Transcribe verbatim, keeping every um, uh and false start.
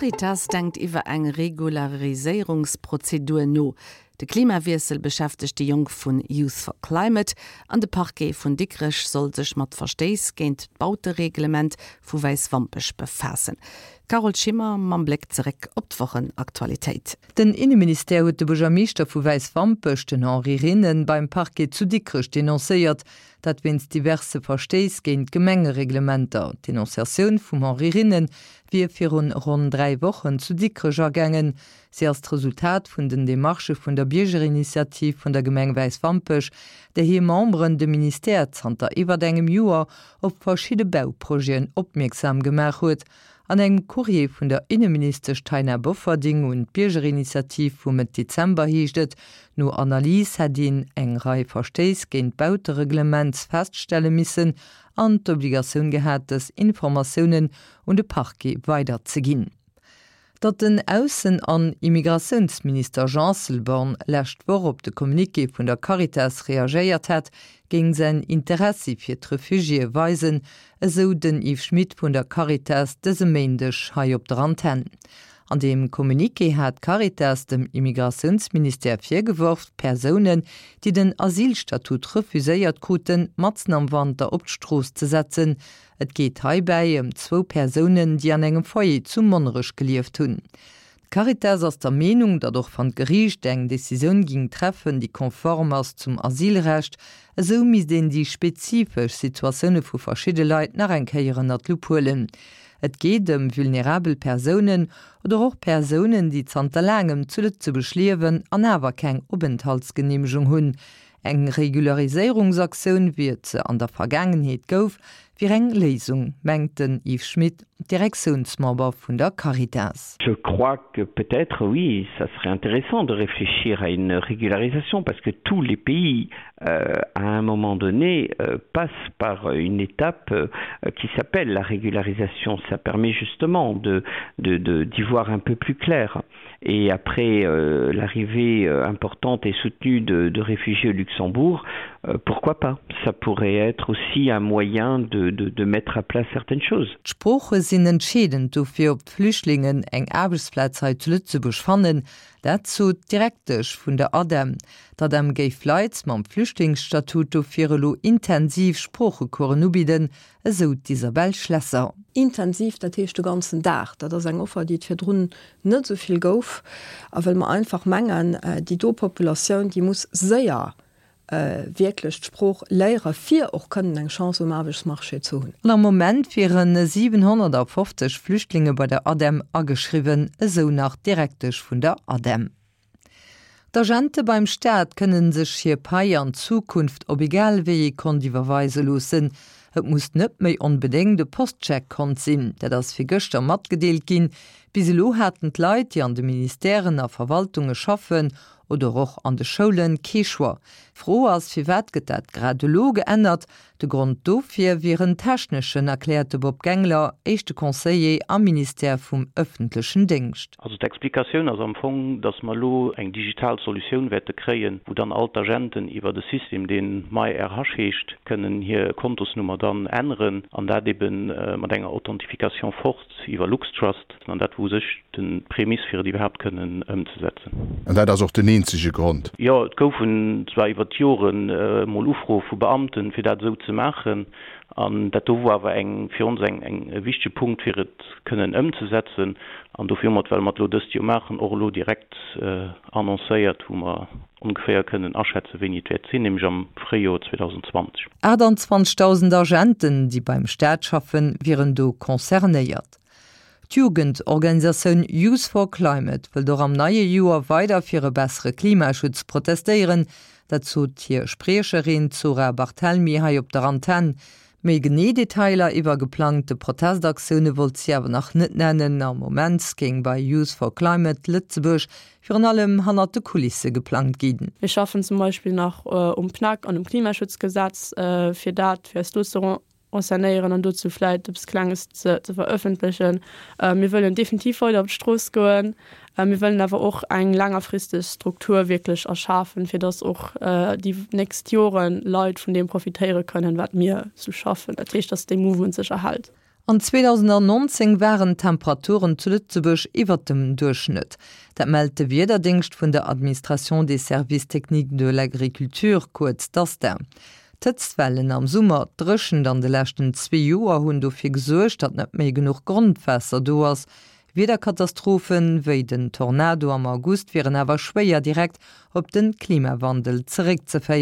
D'Caritas denkt iwwer eng Regulariséierungsprozedur no. De Klimawiessel beschäftegt déi Jonk vun Youth for Climate an de Parquet vun Dikrech soll sech mat Verstéiss géint d'Bautereglement vu Wäiswampech befaassen. D'Carole Schimmer mam Bléck zeréck op d'Wochenaktualitéit. Den Inneministère huet de Buergermeeschter vu Wäiswampech, den Henri Rinnen, beim Parquet zu Dikrech denoncéiert. Dat wéinst diverse Verstéiss géint d'Gemengereglementer. D'Denonciatioun vum Henri Rinnen wier virun ronn dräi Wochen zu Dikrech agaangen. Si ass d'Resultat vun den Demarchë vun der Biergerinitiativ vun der Gemeng Wäiswampech, där hir Memberen de Ministère zanter iwwert engem Joer op verschidde Bauprojeten opmierksam gemaach huet. An engem Courrier vun der Inneministesch Taina Bofferding un d'Biergerinitiativ vu Mëtt Dezember heescht et, no Analys hätt een eng Rei Verstéiss géint d'Bautereglement feststelle missen an d'Obligatioun gehat, dës Informatiounen un de Parquet weiderzeginn. Datt den Aussen an Immigratiounsminister Jean Asselborn lescht Woch op de Communiqué vun der Caritas reagéiert hätt, géing säin Interessi fir d'Refugiéë weisen, esou den Yves Schmidt vun der Caritas dëse Méindeg hei op der Antenn. An deem Communiqué hat d'Caritas dem Immigratiounsministère virgeworf, Persounen, déi den Asylstatut refuséiert kruten, matzen am Wanter op d'Strooss ze setzen. Et geet heibäi ëm zwou Persounen, déi an engem Foyer zu Monnerech gelieft hunn. D'Caritas ass der Meenung, datt och wann d'Geriicht eng Decisioun géing treffen, déi konform ass zum Asylrecht, esou misst een déi spezifesch Situatioune vu verschidde Leit nach eng Kéier ënner d'Lupp huelen. Et geet ëm vulnerabel Persounen oder och Persounen, déi zanter laangem zu Lëtzebuerg liewen an awer keng Openthaltsgeneemegung hunn. Eng Regulariséierungsaktioun, wéi et se an der Vergaangenheet gouf, wier eng Léisung, mengt den Yves Schmidt, Direktiounsmember vun der Caritas. Je crois que peut-être, oui, ça serait intéressant de réfléchir à une régularisation parce que tous les pays, euh, à un moment donné, euh, passent par une étape euh, qui s'appelle la régularisation. Ça permet justement de, de, de, d'y voir un peu plus clair. Et après euh, l'arrivée euh, importante et soutenue de, de réfugiés au Luxembourg, euh, pourquoi pas? Ça pourrait être aussi un moyen de, de, de mettre à plat certaines choses. D'Sprooche sinn entscheedend dofir, ob d'Flüchtlingen eng Aarbechtsplaz hei zu Lëtzebuerg fannen. Dat sot d'Direktesch vun der ADEM. D'ADEM géif Leit mam Flüchtlingsstatut dofir elo intensiv Sproochecoursen ubidden, esou d'Isabelle Schlesser. Intensiv, dat heescht de ganzen Dag. Dat ass eng Offer, déi et virdrun net esou vill gouf. A well mer einfach mengen, déi do Populatioun, déi muss séier wierklech d'Sprooch léiere fir och kënnen eng Chance um Aarbechtsmarché ze hunn. An am Moment wieren siwenhonnertafofzeg Flüchtlinge bei der ADEM ageschriwwen, esou nach d'Direktesch vun der ADEM. D'Agente beim Staat kënnen sech hir Pai an Zukunft op egal wéi ee Kont iwwerweise loossen. Et muss net méi onbedéngt e Postcheck-Kont sinn. Dat ass virgëschter matgedeelt ginn. Bis elo haten d'Leit, déi an de Ministèren a Verwaltunge schaffen oder och an de Schoulen, kee Choix. D'Fro ass, firwat gëtt dat grad elo geännert? De Grond dofir wier en techneschen, erkläert de Bob Gengler, éischte Conseiller am Ministère vum ëffentlechen Déngscht. Also d'Explikatioun ass am Fong, dass mer elo eng digital Solutioun wäerte kréien, wou dann all d'Agenten iwwert e System, deen MyRH heescht, kënnen hir Kontosnummer dann änneren an dat ebe mat enger Authentification forte iwwer LuxTrust. An dat wor u sech d'Prämiss, fir et iwwerhaapt kënnen ëmzesetzen. An dat ass och den eenzege Grond? Jo, et goufen zwar iwwer d'Joren emol Ufroe vu Beamten, fir dat esou ze maachen. An dat do wor awer eng fir ons eng eng e wichtege Punkt, fir et kënnen ëmzesetzen. An dofir hu mer et, well mer et elo dëst Joer maachen, och elo direkt annoncéiert, wou mer ongeféier kënnen aschätzen, wéini et wäert sinn, nämlech am Fréijoer zweedausendzwanzeg Aachtanzwanzegdausend Agenten, déi beim Staat schaffen, wieren do concernéiert. D'Jugendorganisatioun Youth for Climate wëllt och am neie Joer weider fir e bessere Klimaschutz protestéieren. Dat sot hir Spriecherin Zora Barthelmy hei op der Antenn. Méi genee Detailer iwwer geplangte Protestaktioune wollt si awer nach net nennen. Am Moment géing bei Youth for Climate Lëtzebuerg virun allem hannert de Kulisse geplangt ginn. Mir schaffen zum Beispill nach um PNAC an um Klimaschutzgesetz, fir dat fir eis do ze renseignéieren an dozou vläit eppes Klenges ze ze verëffentlechen. Mir wëllen definitiv weider op d'Strooss goen. Mir wëllen awer och eng längerfristeg Struktur wierklech erschafen, fir dass och déi nächst Joren Leit vun deem profitéiere kënnen, wat mir sou schaffen. Dat heescht, dass dee Mouvement sech erhält. An zweedausendannonzéng waren d'Temperaturen zu Lëtzebuerg iwwert dem Duerchschnëtt. Dat mellt de Wiederdéngscht vun der Administration des services techniques de l'agriculture, kuerz DASTA. D'Hëtztwellen am Summer, d'Dréchent an de leschten zwee Joer hunn dofir gesuergt, datt net méi genuch Grondwaasser do ass. Wiederkatastrophen wéi den Tornado am August wieren awer schwéier direkt op de Klimawandel zeréckzeféieren.